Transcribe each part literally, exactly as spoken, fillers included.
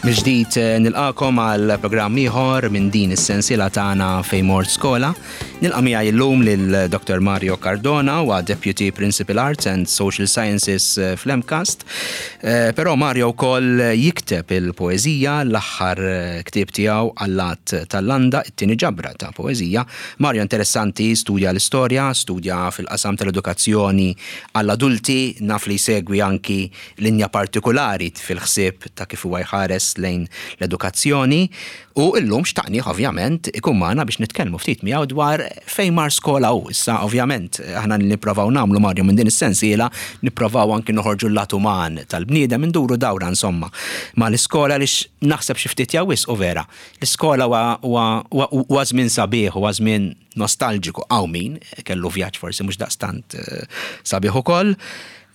Mill-ġdid eh, nilqagħkom għal programm ieħor minn din is-sensiela tagħna Fejn Mort Skola. Nilqa' miegħi llum lil Dr. Mario Cardona huwa Deputy Principal Arts and Social Sciences eh, fl-MCAST. Eh, Però Mario wkoll jikteb il-poeżija l-aħħar ktieb tiegħu Allat tal-Landa, it-tieni ġabra ta' poeżija. Mario interessanti, studja l-istorja, studja fil-qasam tal-edukazzjoni għall-adulti, naf li jsegwi anki linja partikolari fil-ħsieb ta' kif huwa jħares lejn l-edukazzjoni u illum xtaqni ovvjament ikun magħna biex nitkellmu ftit miegħu dwar fejn mar skola u issa ovvjament aħna nipprovaw nagħmlu Mario minn din is-sensiela nipprovaw anki noħorġu l-lat uman tal-bniedem induru dawra insomma ma l-iskola li naħseb xi ftit jawis u vera. L-iskola huwa żmien sabiħ, huwa żmien nostalġiku hawn min kellu vjaġġ forsi mhux daqstant eh, sabiħ ukoll.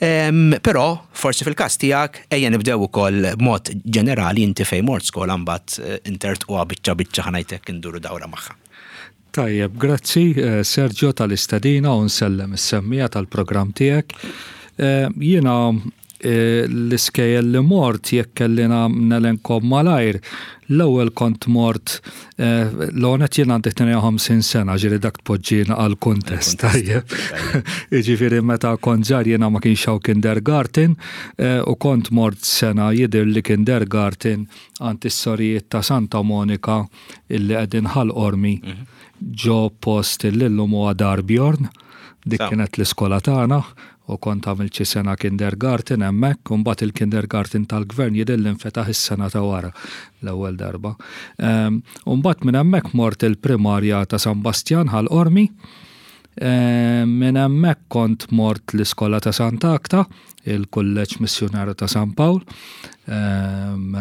Però forsi fil-każ tiegħek ejja nibdew ukoll b'mod ġenerali inti fejn mort skola mbagħad eh, intertquha biċċa biċċa ħa ngħidlek induru dawra magħha. Tajjeb, grazzi eh, Sergio tal-istedina u nsellem is-semmiegħa tal-programm tiegħek. Eh, jiena l-iskejjel li mort jekk kelli nelenkom malajr, l-ewwel kont mort l-għonet jien għandi tnejn u ħamsin sena, ġiri dak tpoġġina għal kuntest, tajjeb. Ġifieri meta kont żgħir jiena ma kienx hawn kindergarten u kont mort sena jidher li kindergarten għand is-sorijiet ta' Santa Monika illi qegħdin Ħal Qormi mhm. ġo post illum huwa Dar Bjorn. Dik kienet l-iskola tagħna u kont għamilt xi sena kindergarten hemmhekk, u mbagħad il-kindergarten tal-gvern jidher li nfetaħ is-sena ta' wara l-ewwel darba. Ehm, u mbagħad minn hemmhekk mort il-primarja ta' San Bastjan Ħal Qormi. Ehm, minn hemmhekk kont mort l-iskola ta' Sant'Agata, il-Kulleġġ Missjonarju ta' San Pawl. Ehm,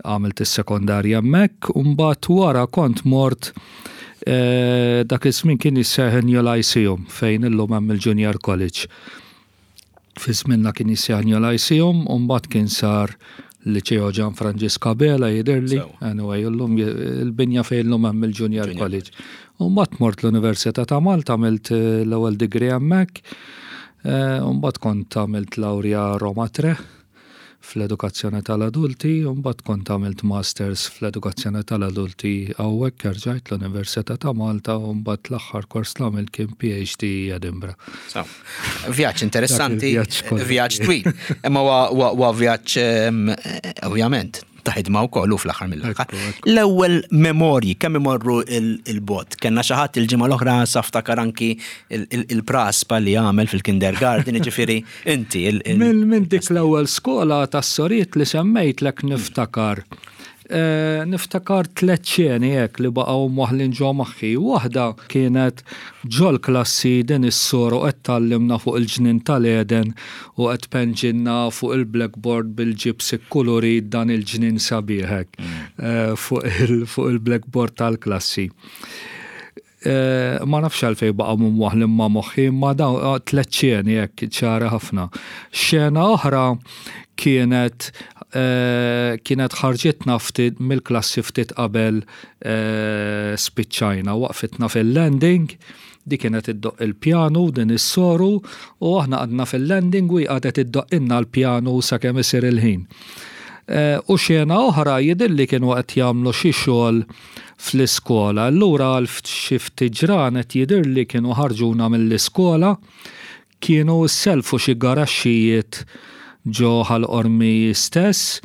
għamilt is-sekondarja hemmhekk, u mbagħad wara kont mort Eh, dak iż-żmien kien jissejjaħ New Lyceum fejn illum hemm il-Junior College. Fi żminna kien jissejjaħ New Lyceum u mbagħad kien sar Liceo Ġan Franġisk Abela jidhirli, anyway, illum il-binja fejn illum hemm il-Junior College. U mbagħad mort l-Università ta' Malta għamilt eh, l-ewwel degree hemmhekk, eh, u mbagħad kont għamilt lawrja Roma Tre fl-edukazzjoni tal-adulti, u mbagħad kont għamilt masters fl-edukazzjoni tal-adulti hawnhekk erġajt l-Università ta' Malta u mbagħad l-aħħar kors li għamilt kien PhD Edinburgh. Vjaġġ interessanti, vjaġġ twil. Imma huwa vjaġġ ovvjament ta' ħidma wkoll u fl-aħħar mill-aħħar. L-ewwel memorji kemm imorru il-bogħod. Kellna xi ħadd il-ġimgħa l-oħra saftakar anki il-praspa li għamel fil-kindergarten, ġifieri inti. Minn dik l-ewwel skola tas-sorijiet li semmejtlek niftakar. Eh, niftakar tliet xeni hekk li baqgħu mwaħlin ġo moħħi. Waħda kienet ġol klassi din is-soru qed tgħallimna fuq il-ġnien tal-Eden u qed tpinġilna fuq il-blackboard bil-ġibs ikkulurit dan il-ġnien sabiħ hekk mm. eh, fuq il-blackboard tal-klassi. Eh, ma nafx għalfej baqa' mwaħlin ma' moħħi, ma dawn tliet xeni hekk ċara ħafna. Xena oħra kienet eh, kienet ħarġitna ftit mill-klassi ftit qabel eh, spiċċajna, waqfitna fil-landing, di kienet iddoqq il-pjanu din is-soru u aħna għadna fil-landing u għadet iddoqqilna l-pjanu sakemm isir il-ħin. U xena oħra jidhirli kienu qed jagħmlu xi xogħol fl-iskola. Allura għal xi ftit ġranet jidhirli kienu ħarġuna mill-iskola, kienu selfu xi garaxxijiet ġo Ħal Qormi stess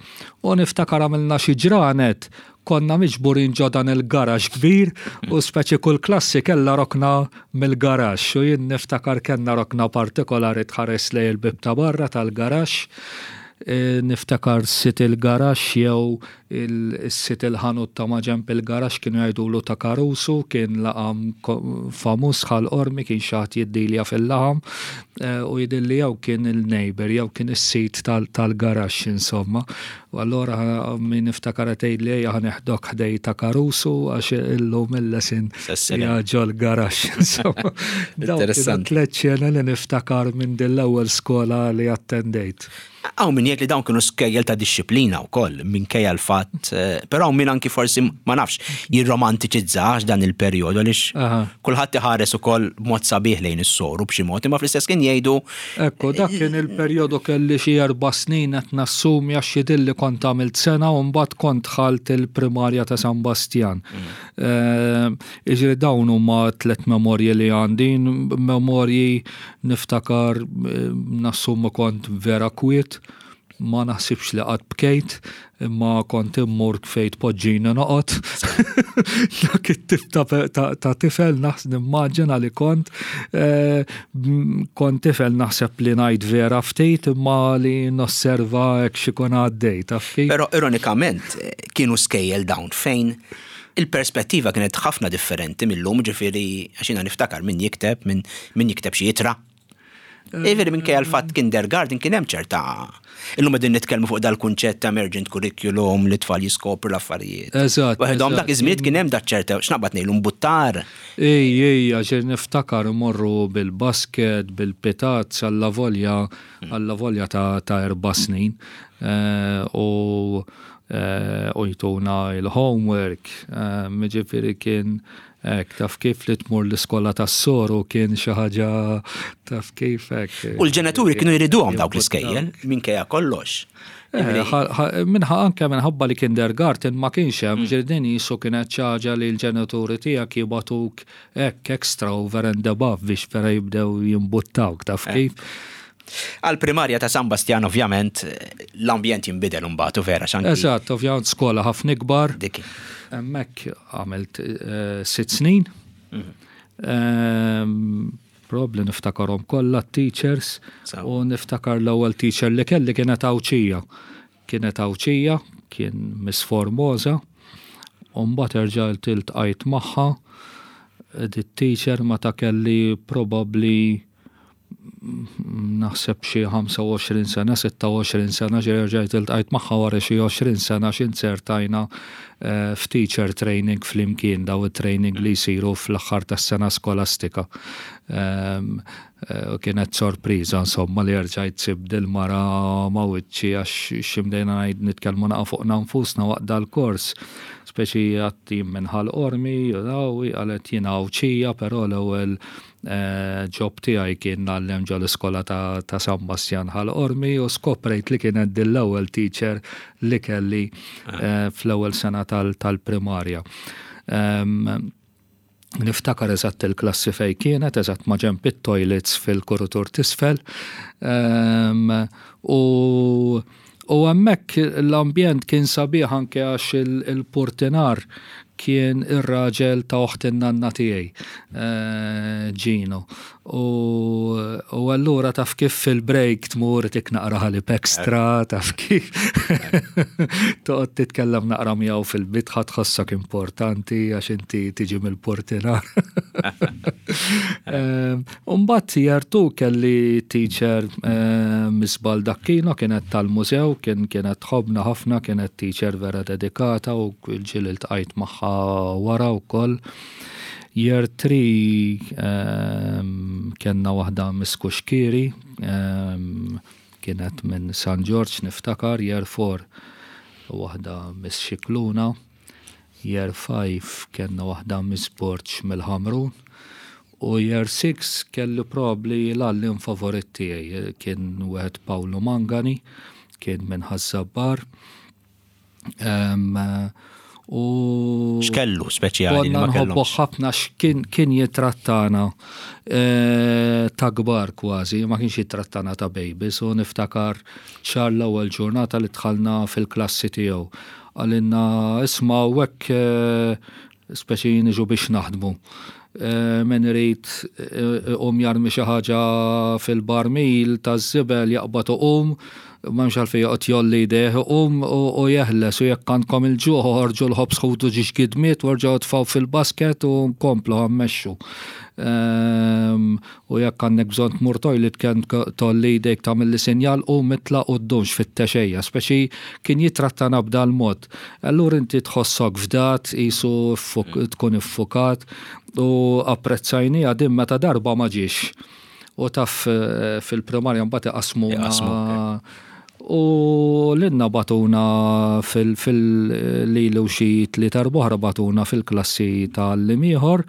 u niftakar għamilna xi ġranet konna miġburin ġo dan il-garax kbir u speċi kull klassi kella rokna mill-garax u jien niftakar kellna rokna partikolari tħares lejn il-bib ta' barra tal-garax. E, niftakar sid il-garax jew il-sid il-ħanut ta' maġenb il-garax kienu jgħidulu ta' Karusu, kien laqam famuż Ħal Qormi, kien xi ħadd jiddilja fil-laħam e, u jidhirli jew kien il-neighbor jew kien is-sid tal-garax insomma. U allura min niftakar tgħid li ejja ħa neħdok ħdejn ta' Karusu għax illum il-lesson ġol garax insomma. Interessanti. Tliet xeni li niftakar minn din l-ewwel skola li attendejt. Hawn min jgħid li dawn kienu skejjel ta' dixxiplina wkoll minkejja l-fatt, eh, però hawn min anki forsi ma nafx jirromantiċizzax dan il-perjodu għaliex Aha. kulħadd iħares ukoll b'mod sabiħ lejn is-soru b'xi mod, imma fl-istess kien jgħidu Ekku, dak kien il-perjodu kelli xi erba' snin qed nassumi għax jidhirli kont għamilt sena u mbagħad kont dħalt il-primarja ta' San Bastian. Eh, Iġri dawn huma tliet memorji li għandi, memorji niftakar eh, nassumi kont vera kwiet, ma naħsibx li qatt bkejt, imma kont immur fejn tpoġġini noqgħod. Dak it-tip ta', ta, ta' tifel naħs nimmaġina li kont eh, m- kont tifel naħseb li ngħid vera ftit imma li nosserva hekk x'ikun għaddej, taf kif? Però ironikament eh, kienu skejjel dawn fejn il-perspettiva kienet ħafna differenti mill-lum, ġifieri għax jiena niftakar min jikteb, min, min jikteb xi ittra. Ġifieri minkejja l-fatt kindergarten kien hemm ċerta. Illum qegħdin nitkellmu fuq dal-kunċett ta' emergent curriculum li tfal jiskopru l-affarijiet. Eżatt, Waħedhom eżatt. dak iż-żmien kien hemm dak ċerta x'naqbad ngħidu mbuttar. Ej, ej, għax niftakar morru bil-basket, bil-pitazz, alla volja, alla volja ta', ta' erba' snin. Eh, U eh, u jtuna il-homework, eh, ġifieri kien hekk, taf kif li tmur l-iskola tas-soru kien xi ħaġa taf kif hekk. U l-ġenituri kienu jriduhom dawk l-iskejjel minkejja kollox. Eh, ħa- ħa- Minħa anke minħabba li kindergarten ma kienx hemm ġirdin jisu kienet xi ħaġa li l-ġenituri tiegħek jibagħtuk hekk extra over and above biex vera jibdew jimbuttawk taf kif. Għal-primarja ta' San Bastian ovvjament l-ambjent jinbidel mbagħad u vera xanki. Eżatt, ovvjament skola ħafna ikbar. Dik. Hemmhekk għamilt eh, sitt snin. Ehm, Probably niftakarhom kollha teachers Sew. u niftakar l-ewwel teacher li kelli kienet Għawdxija. Kienet Għawdxija, kien Miss Formosa, u mbagħad erġajt iltqajt magħha. Di teacher meta kelli probably naħseb xi ħamsa u għoxrin sena, sitta u għoxrin sena, ġej rġajt iltqajt magħha wara xi għoxrin sena x'inzertajna eh, f'teacher training flimkien, daw it-training li jsiru fl-aħħar tas-sena skolastika. Ehm, eh, U kienet sorpriża insomma li rġajt sib dil-mara ma' wiċċi għax x'imdejna ngħid nitkellmu naqa' fuqna nfusna waqt dal-kors. Speċi għatti minn Ħal Qormi, u daw, qalet jiena Għawdxija, però l-ewwel eh, job tiegħi kien ngħallem ġo l-iskola ta', ta' San Bastian Ħal Qormi u skoprejt li kienet din l-ewwel teacher li kelli eh, fl-ewwel sena tal- tal-primarja. Em, Niftakar eżatt il-klassi fej kienet, eżatt ma' ġenb it-toilets fil-kuritur t'isfel. Em, U u hemmhekk l-ambjent kien sabiħ anke għax il- il-portinar kien ir-raġel ta' oħt in-nanna tiegħi, eh, Gino. U, u allura taf kif fil-break tmur tik naqra ħalib extra, taf kif toqgħod titkellem naqra miegħu fil-bitħa tħossok importanti għax inti tiġi mill-portinar. Umbagħad year two kelli teacher eh, Miss Baldacchino kienet tal-mużew, kien kienet tħobna ħafna, kienet teacher vera dedikata u ġieli ltqajt magħha wara wkoll. Year three um, kellna waħda Miss Kuxkiri, um, kienet minn San George niftakar, year four waħda Miss Xikluna, year five kellna waħda Miss Borch mill-Ħamrun, u year six kelli probably l-għalliem favorit tiegħi kien wieħed Paolo Mangani, kien minn Ħaż-Żabbar. Um, u X'kellu speċjali li konna ma nħobbu kellhomx? ħafna x'kien kien jitrattana eh, ta' kbar kważi, ma kienx jitrattana ta' babies u niftakar ċar l-ewwel ġurnata li dħalna fil-klassi tiegħu. Qalilna isma' u hekk eh, speċi niġu biex naħdmu. Eh, Min irid eh, um jarmi xi ħaġa fil-barmil taż-żibel jaqbad uqum, m'hemmx għalfejn joqgħod jgħolli jdejh iqum u u jeħles u jekk għandkom il-ġuħ oħorġu l-ħobż ħudu żewġ gidmiet u erġgħu tfgħu fil-basket u nkomplu ħammexxu. Ehm, U jekk għandek bżonn tmur toilet kien tgħolli jdejk tagħmel li sinjal u mitla u ddumx fit-texejja, speċi kien jitrattana b'dal mod. Allura inti tħossok fdat, qisu ffuk- tkun iffukat u apprezzajni għadim meta darba ma ġiex. U taf eh, fil-primarja mbagħad iqasmuna Iqasmuk, U lilna bagħtuna fil-lili u xi tlieta, oħra bagħtuna fil-klassi tal-għalliem ieħor.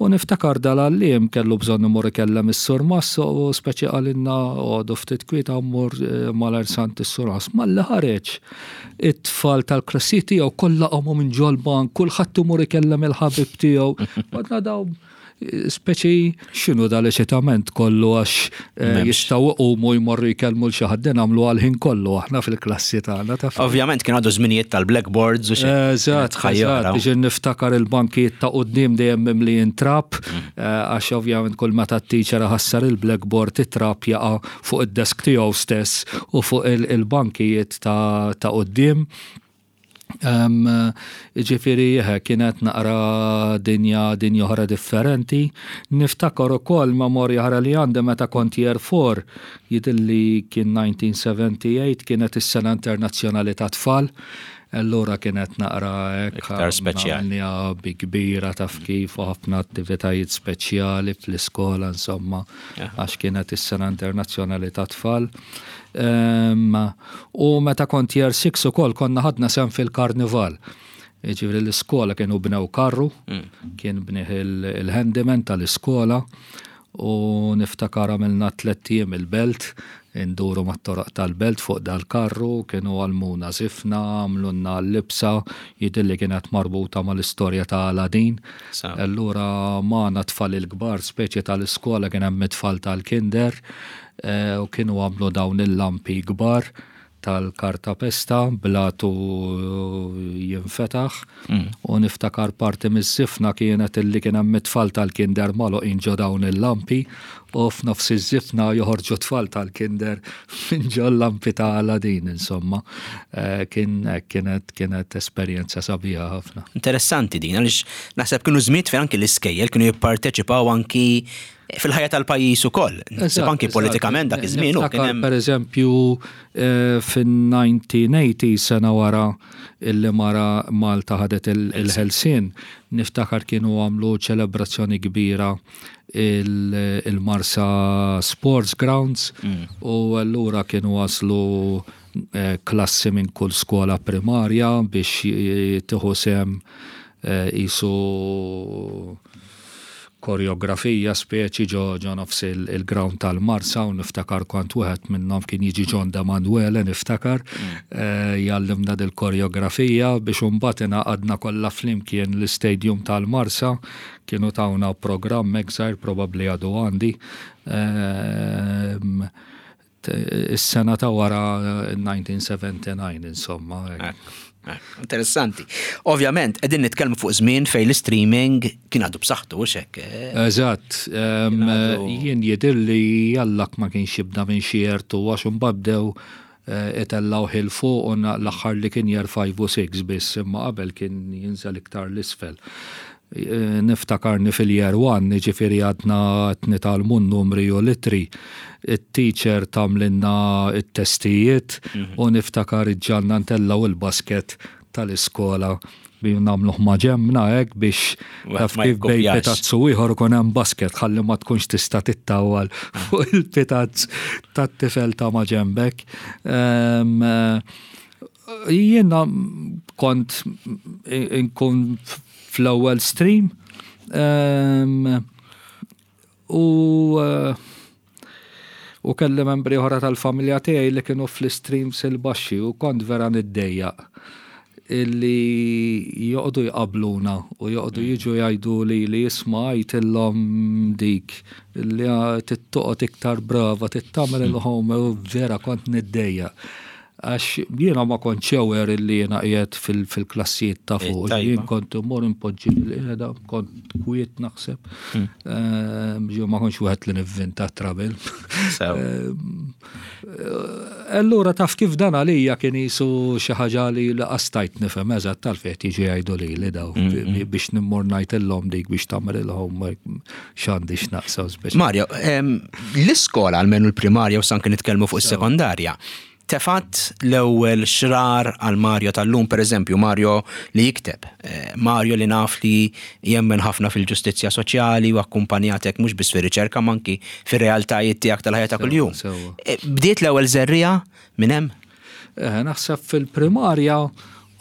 U niftakar dal-għalliem kellu bżonn imur ikellem is-surmast u speċi qalilna, "Oqogħdu ftit kwieta, mmur eh, malajr s'għand is-surmast." Malli ħareġ, it-tfal tal-klassi tiegħu kollha qamu minn ġol-bank, kulħadd imur ikellem il-ħabib tiegħu. Għedna daw speċi x'inhu dal-eċitament kollu, għax eh, jistgħu jqumu jmorru jkellmu 'l xi ħadd, nagħmlu għal-ħin kollu aħna fil-klassi tagħna, taf. Ovvjament kien għadu żminijiet tal-blackboards u xi. Eżatt, eżatt, biex niftakar il-bankijiet ta' quddiem dejjem mimlijin trab, mm. eh, għax ovvjament kull meta t-teacher ħassar il-blackboard, it-trab jaqa' fuq id-desk tiegħu stess u fuq il-bankijiet ta' quddiem. Ġifieri, kienet naqra dinja dinja oħra differenti. Niftakar ukoll memorja oħra li għandi meta kont year four, jidhirli kien elf disa' mija u sebgħa u tmenin, kienet is-Sena Internazzjonali ta' Tfal. Allura kienet naqra iktar speċjali. Bi kbira, taf kif, u ħafna attivitajiet speċjali fl-iskola, insomma, għax kienet is-Sena Internazzjonali ta' Tfal. U meta kont year six ukoll konna ħadna sehem fil-karnival. Ġifieri l-iskola kienu bnew karru, mm. kien bnieh il-handyman tal-iskola u niftakar għamilna tlett ijiem il-Belt, induru mat-toroq tal-Belt fuq dal-karru, kienu għallmuna żifna, għamlulna l-libsa, jidhirli kienet marbuta mal-istorja ta' Aladdin. Allura magħna tfal il-kbar, speċi tal-iskola, kien hemm tfal tal-kinder, eh, u kienu għamlu dawn il-lampi kbar tal-kartapesta bl-għatu jinfetaħ mm. u niftakar parti miż-żifna kienet illi kien hemm tfal tal-kinder magħluqin ġo dawn il-lampi u f'nofs iż-żifna joħorġu tfal tal-kinder minn ġo lampi ta' Aladdin, insomma. Eh, kien kienet kienet esperjenza sabiħa ħafna. Interessanti din, għaliex naħseb kienu żmien fejn anki l-iskejjel kienu jipparteċipaw anki fil-ħajja tal-pajjiż ukoll. Naħseb anki politikament dak iż-żmien u kien hemm. Per eżempju, eh, fin-elf disa' mija u tmenin, sena wara illi mara Malta ħadet il-ħelsien, niftakar kienu għamlu ċelebrazzjoni kbira il-Marsa Sports Grounds mm. u allura kienu waslu eh, klassi minn kull skola primarja biex tieħu sehem qisu koreografija speċi ġo ġo nofs il-ground tal-Marsa u niftakar kont wieħed minnhom, kien jiġi John De Manuele, niftakar mm. eh, jgħallimna dil-koreografija biex imbagħad ingħaqadna kollha flimkien l-istadium tal-Marsa. Kienu tawna programm żgħir, probabbli għadu għandi. Ehm, is-sena ta' wara elf disa' mija u sebgħa u sebgħin, insomma. Interessanti. Ovvjament, qegħdin nitkellmu fuq żmien fejn l-streaming kien għadu b'saħħtu, u hekk. Eh? Eżatt. Jien jidhirli jallak ma kienx jibda minn xi year two, għax imbagħad bdew eh, itellaw 'il fuq u l-aħħar li kien year five u six biss, imma qabel kien jinżel iktar 'l isfel. Eh, niftakarni fil-year one, ġifieri għadna nitgħallmu numri u l-ittri. Il-teacher tagħmlilna it-testijiet mhm. u niftakar iġġagħalna ntellgħu il-basket tal-iskola bi nagħmluh maġenbna hekk biex taf kif bejn pitazzu ieħor ikun hemm basket ħalli ma tkunx tista' tittawal fuq il-pitazz tat-tifel ta' maġenbek. Jiena kont inkun fl-ewwel stream u u kelli membri oħra tal-familja tiegħi li kienu fl-streams il-baxxi u kont vera niddejjaq illi joqogħdu jqabbluna u joqogħdu jiġu jgħidu li li "Isma', għidtilhom dik li trid toqgħod iktar brava, trid tagħmel il-home", u vera kont niddejjaq. Għax jiena ma kontx aware illi jiena qiegħed fil-klassijiet ta' fuq. Jien kont immur impoġġi bil-qiegħda, kont kwiet naħseb. Hmm. Ehm, ġew ma kontx wieħed li nivvinta trouble. Ehm, allura taf kif, dan għalija kien qisu xi ħaġa li stajt nifhem eżatt tal-fejn jiġi jgħidu li li daw hmm, hmm. biex nimmur ngħidilhom dik biex tagħmel il-homework, x'għandi x'naqsam. Mario, ehm, l-iskola, almenu l-primarja u anke nitkellmu fuq is-sekondarja, tefat l-ewwel xrar għal Mario tal-lum, per eżempju, Mario li jikteb, eh, Mario li naf li jemmen ħafna fil-ġustizzja soċjali u akkumpanjatek mhux biss fir-riċerka imma anki fir-realtajiet tiegħek tal-ħajja ta' kuljum. Eh, bdiet l-ewwel żerriegħa minn hemm? Eh, naħseb fil-primarja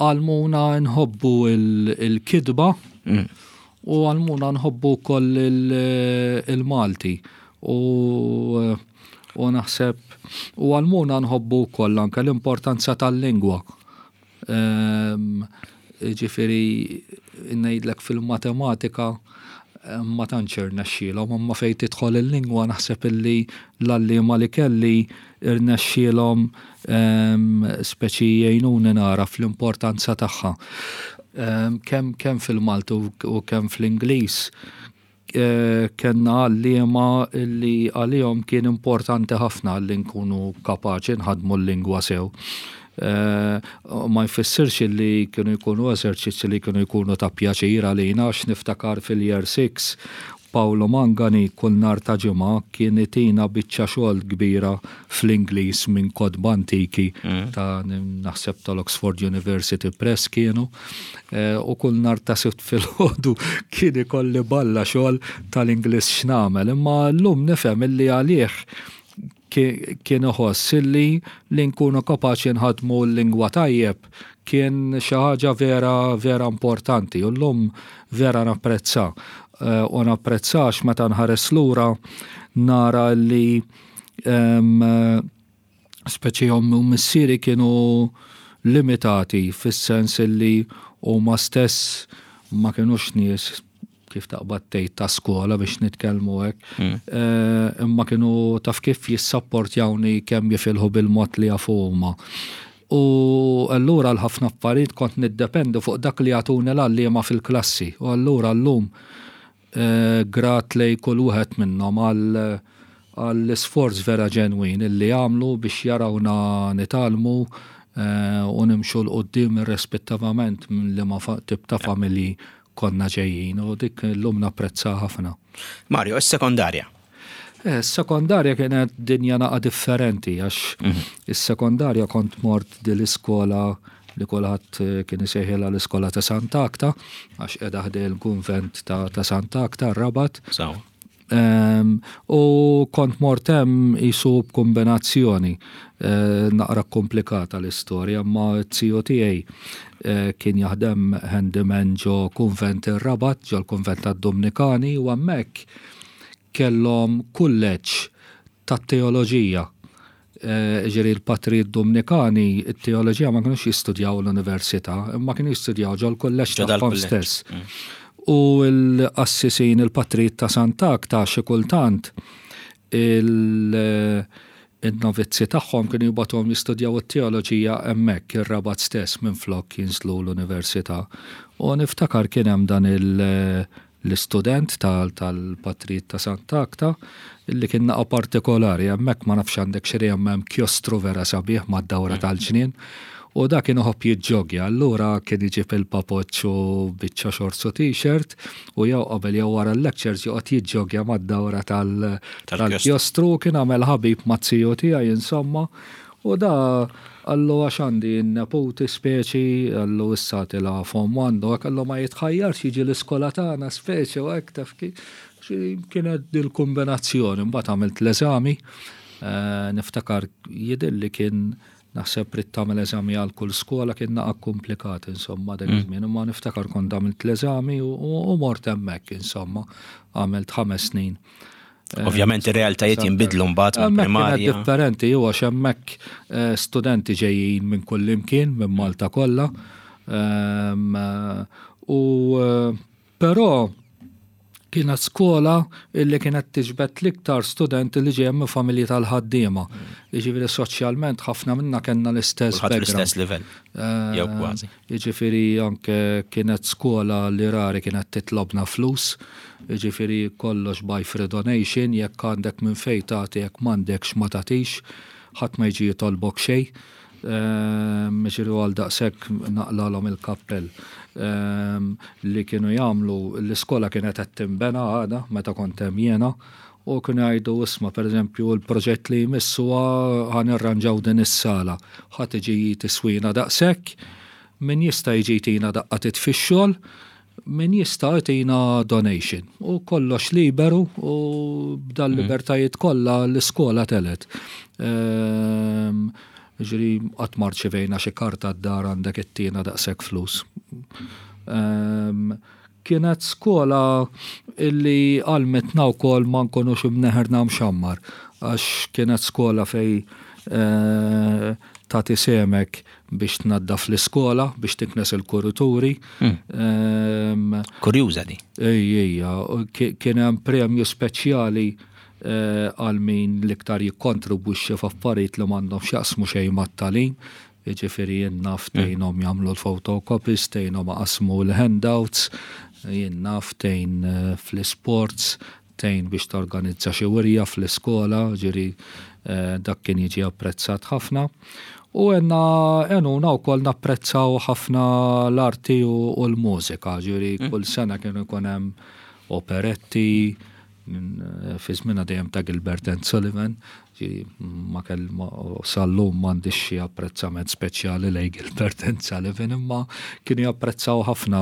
għallmuna nħobbu il-kitba mm. u għallmuna nħobbu koll il-Malti. U u naħseb u għallmuna nħobbu wkoll anke l-importanza tal-lingwa. Ehm, ġifieri ngħidlek fil-matematika ma tantx irnexxielhom, imma fejn tidħol il-lingwa naħseb illi l-għalliema li kelli irnexxielhom ehm, speċi jgħinuni nara fl-importanza tagħha. Ehm, kemm kemm fil-Malti u kemm fl-Ingliż Eh, kellna għalliema li għalihom kien importanti ħafna li nkunu kapaċi nħadmu l-lingwa sew. Eh, ma jfissirx li kienu jkunu eżerċizzi li kienu jkunu ta' pjaċir għalina, għax niftakar fil-year six Paolo Mangani kull nhar ta' Ġimgħa kien itina biċċa xogħol kbira fl-Ingliż minn kotba antiki mm. ta' naħseb tal-Oxford University Press kienu eh, u kull nhar ta' Sibt filgħodu kien ikolli balla xogħol tal-Ingliż x'nagħmel. Imma llum nifhem illi għalih kien iħoss illi li nkunu kapaċi nħadmu l-lingwa tajjeb kien xi ħaġa vera vera importanti u llum vera napprezza. Eh, u napprezzax meta nħares lura nara li speċi ommi u missieri kienu limitati fis-sens li huma stess ma kienux nies kif taqbad tgħid ta' skola biex nitkellmu hekk. Mm. Eh, imma kienu taf kif jissapportjawni kemm jifilħu bil-mod li jafu huma. U allura l-ħafna affarijiet kont niddependu fuq dak li jagħtuni l-għalliema fil-klassi. U allura llum eh, grat lej kull wieħed minnhom għal għall-isforz vera ġenwin illi għamlu biex jarawna nitgħallmu eh, u nimxu 'l quddiem irrispettivament minn liema tip ta' familji konna ġejjin u dik l-lum napprezza ħafna. Mario, is-sekondarja. Eh, Is-sekondarja kienet dinja naqa differenti għax mhm. is-sekondarja kont mort dil-iskola li kulħadd eh, kien isejħilha l-iskola ta' Sant'Agata għax qiegħda ħdejn il-kunvent ta', ta Sant'Agata Rabat. Um, u kont mort hemm jisu b'kombinazzjoni uh, naqra komplikata l-istorja, ma z-ziju tiegħi uh, kien jaħdem handyman ġo kunvent ir-Rabat, ġo l-kunvent tad-Dominikani u hemmhekk kellhom kulleġġ tat-teoloġija. Eh, ġifieri l-patrijiet Dominikani, it-teoloġija ma kienux jistudjaw l-università, imma kienu jistudjaw ġo l-kulleġġ tagħhom stess. Mm. U l-qassisin il-patrijiet ta' Sant'Agata xi kultant il-novizzi tagħhom kienu jibagħtuhom jistudjaw it-teoloġija hemmhekk ir-Rabat stess minn flok jinżlu l-università. U niftakar kien hemm dan il- l-istudent tal-patrijiet ta' Sant'Agata illi kien naqa partikolari, hemmhekk ma nafx għandek xi hemm kjostru vera sabiħ mad-dawra mm. tal-ġnien. U da kien iħobb jiġġogja, allura kien iġib il-papoċċ u biċċa shorts u t-shirt u jew qabel jew wara l-lectures joqgħod jiġġogja mad-dawra tal-kjostru, kien għamel ħabib maz-ziju tiegħi insomma. U da qallu għax għandi n-neputi speċi, qallu issa tila' form one, u qallu ma jitħajjarx jiġi l-iskola tagħna speċi u hekk taf kif. Kienet dil-kombinazzjoni, mbagħad għamilt l-eżami, eh, niftakar jidhirli kien naħseb trid tagħmel eżami għal kull skola kien naqa komplikat insomma dak mm. iż-żmien, imma niftakar kont għamilt l-eżami u mort hemmhekk insomma għamilt ħames snin. Eh, Ovvjament ir-realtajiet jinbidlu mbagħad mill-primarja. Differenti huwa hemmhekk eh, studenti ġejjin minn kull imkien minn Malta kollha. Ehm, u eh, però kienet skola illi kienet tiġbed l-iktar studenti li ġejjem minn familji tal-ħaddiema. Jiġifieri soċjalment ħafna minna kellna l-istess l-istess livell. Jew kważi. Jiġifieri anke kienet skola li rari kienet titlobna flus. Jiġifieri kollox by free donation, jekk għandek minn fejn tagħti, jekk m'għandekx ma tagħtix, ħadd ma jiġi jitolbok xejn. Ehm, ġifieri għal daqshekk naqlalhom il-kappell ehm, li kienu jagħmlu l-iskola kienet qed tinbena għadha meta kont hemm jiena U kienu jgħidu, isma', per eżempju, l-proġett li jmiss huwa ħa nirranġaw din is-sala. Ħa tiġi tiswina daqshekk, min jista' jiġi jtina daqqa t'id fix-xogħol, min jista' jtina donation. U kollox liberu u b'dal libertajiet kollha l-iskola telgħet. Ehm, Ġifieri, qatt ma rċivejna xi karta d-dar, għandek ittina daqshekk flus. Ehm, Kienet skola illi għallmitna wkoll ma nkunux imneħirna mxammar, għax kienet skola fej eh, tagħti sehmek biex tnaddaf l-iskola, biex tiknes il-kurituri. Ehm, Kurjuża di. Ej, ejja, ki- kien hemm premju speċjali eh, għal min l-iktar jikkontribwixxi f'affarijiet li m'għandhom x'jaqsmu xejn mat-tagħlim. Jiġifieri jien naf tgħinhom jagħmlu l-photocopies, tgħinhom iqassmu l-handouts, jien naf tgħin eh, fl-sports, tgħin biex torganizza xi wirja fl-iskola, ġifieri eh, dak kien jiġi apprezzat ħafna. U għenna għenuna wkoll napprezzaw ħafna l-arti u, u l-mużika, ġifieri kull sena kienu jkun hemm operetti, minn- fi żmienna dejjem ta' Gilbert and Sullivan, ġifieri ma kell ma- sal-lum m'għandix xi apprezzament speċjali lej Gilbert and Sullivan, imma kienu japprezzaw ħafna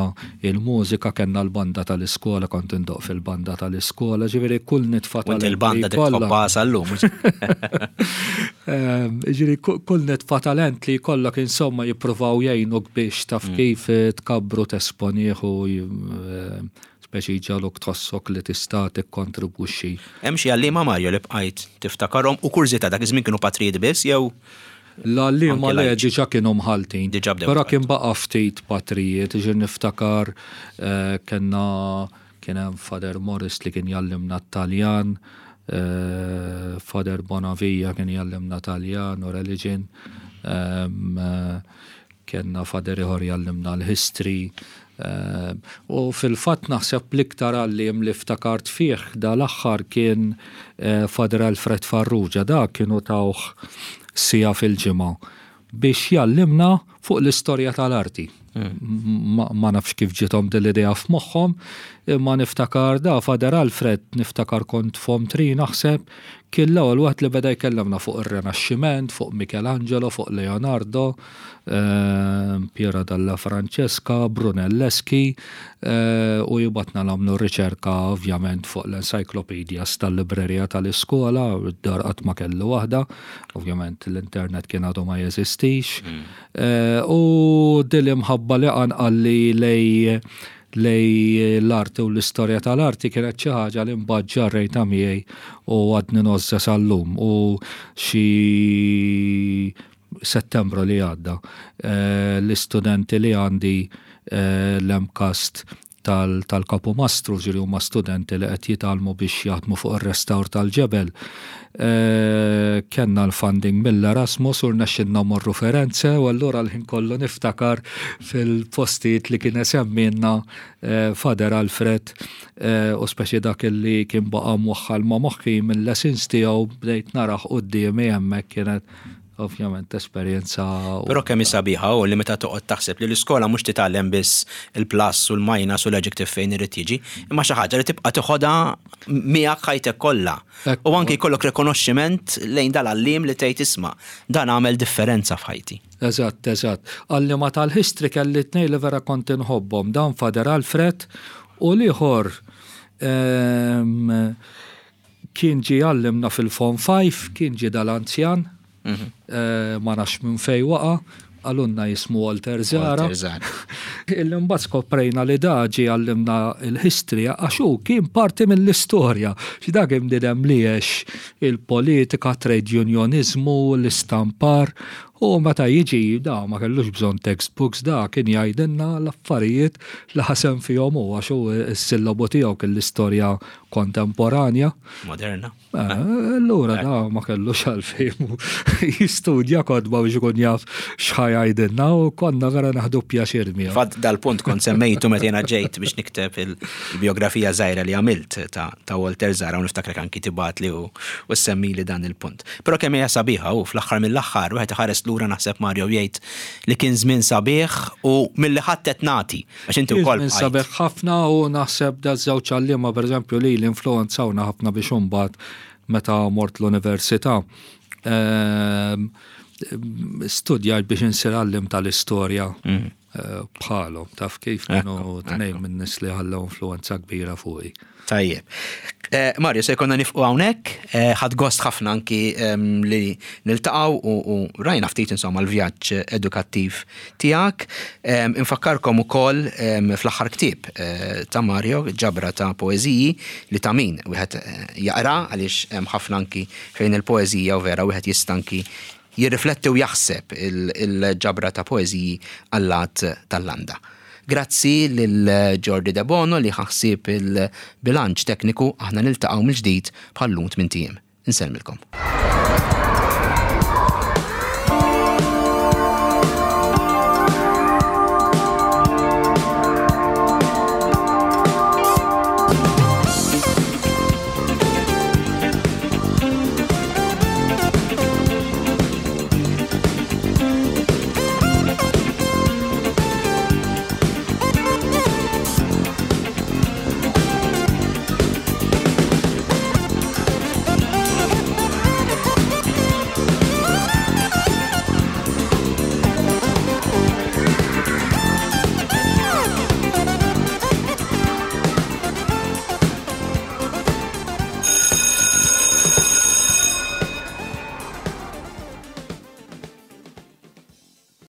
il-mużika, kellna l-banda tal-iskola, kont indoqq fil-banda tal-iskola, ġifieri kull nitfa U inti l-banda talent li jkollha- tħobbha sal-lum. Ehm, Ġifieri, ku- kull nitfa talent li jkollok, insomma, jippruvaw jgħinuk biex taf kif eh, tkabbru, tesponih u eh, speċi jġagħluk tħossok li tista' tikkontribwixxi. Hemm xi għalliema, Mario, li bqajt tiftakarhom u kurżità, dak iż-żmien kienu patrijiet biss jew L-għalliema Anke le lajċi. Diġà kienu mħaltin. Diġà bdew Però mħaltin. kien baqa' ftit patrijiet, ġifieri niftakar eh, kellna kien hemm Father Morris li kien jgħallimna Taljan, eh, Father Bonavia kien jgħallimna Taljan u religion, ehm, eh, kellna Father ieħor jgħallimna l-history. ehm, U fil-fatt naħseb l-iktar għalliem li ftakart fih dal-aħħar kien eh, Father Alfred Farrugia, da kienu tawh siegħa fil-ġimgħa biex jgħallimna fuq l-istorja tal-arti. Ma, ma nafx kif ġiethom din l-idea f'moħħhom, imma niftakar da Father Alfred, niftakar kont form three naħseb, kien l-ewwel wieħed li beda jkellimna fuq ir-Renaxximent, fuq Michelangelo, fuq Leonardo, eh, Piero della Francesca, Brunelleschi, eh, u jibgħatna nagħmlu riċerka ovvjament fuq l-encyclopedias tal-librerija tal-iskola, id-dar qatt ma kellu waħda, ovvjament l-internet kien għadu ma jeżistix. Eh, U din l-imħabba li qanqalli lej lej l-arti u l-istorja tal-arti kienet xi ħaġa li mbagħad ġarrejta miegħi u għadni ngħożżha sal-lum. U xi Settembru li għadda eh, l-istudenti li għandi eh, l-MCAST tal-Kapu Mastru, ġifieri huma studenti li qed jitgħallmu biex jaħdmu fuq ir-restawr tal-ġebel. Eh, Kellna l-funding mill-Erasmus u rnexxilna morru Firenze u allura l-ħin kollu niftakar fil-postijiet li kien semmilna eh, Father Alfred eh, u speċi dak li kien baqa' mwaħħal ma' moħħi mill-lessons tiegħu bdejt narah quddiemi hemmhekk, kienet ovvjament esperjenza. Però kemm sabiħa u li meta toqgħod taħseb li l-iskola mhux titgħallem biss il-plus u l-minus u l-adjective fejn irid jiġi, imma xi ħaġa li tibqa' tiħodha miegħek ħajtek kollha. Ekku. U anki jkollok rikonoxximent lejn dal-għalliem li tgħid, isma', dan għamel differenza f'ħajti. Eżatt, eżatt. Għalliema tal-history kelli tnejn li vera kont inħobbhom, dan Father Alfred u l-ieħor ehm, kien ġi għallimna fil-Form five, kien ġi dal-anzjan, eh, ma nafx minn fej waqa', qalulna jismu Walter Zara. Walter Zara. Illi mbagħad skoprejna li da ġi għallimna il-history għax hu kien parti mill-istorja. Xi dak imdidem li għex il-politika, trade unionizmu, l-istampar, u meta jiġi da ma kellux bżonn textbooks, da kien jgħidilna l-affarijiet li ħasem fihom hu, għax hu s-sillabu tiegħu kien l-istorja kontemporanja. Moderna. Eh, Allura da ma kellux għalfejn jistudja kotba biex ikun jaf x'ħa jgħidilna u konna vera nieħdu pjaċir miegħu. Fatt dal-punt kont semmejtu meta jiena ġejt biex nikteb il-biografija żgħira li għamilt ta' ta' Walter Zara u niftakrek anki tibgħatli u u semmili dan il-punt. Però kemm hija sabiħa u fl-aħħar mill-aħħar wieħed iħares lura, naħseb Mario jgħid li kien żmien sabiħ u milli ħadd qed nagħti għax inti wkoll Żmien sabiħ ħafna u naħseb da żewġ għalliema, pereżempju, li l-influenzawna ħafna biex imbagħad meta mort l-università ehm, studjajt biex insir għalliem tal-istorja mm. eh, bħalhom, taf kif, kienu tnejn minn nies li ħallew influenza kbira fuqi. Tajjeb. Eh, Mario, se jkollna nieqfu hawnhekk, eh, ħadt gost ħafna anki li niltaqgħu u rajna ftit insomma l-vjaġġ edukattiv tiegħek. Infakkarkom ukoll fl-aħħar ktieb eh, ta' Mario, ġabra ta' poeżiji li ta' min wieħed jaqra, għaliex hemm ħafna anki fejn il-poeżija u vera wieħed jista' anki jirrifletti u jaħseb, il-ġabra ta' poeżiji Allat tal-Landa. Grazzi lil Jordi De Bono li ħa ħsieb il-bilanċ tekniku. Aħna niltaqgħu mill-ġdid bħal-lum tmint ijiem. Insellmilkom.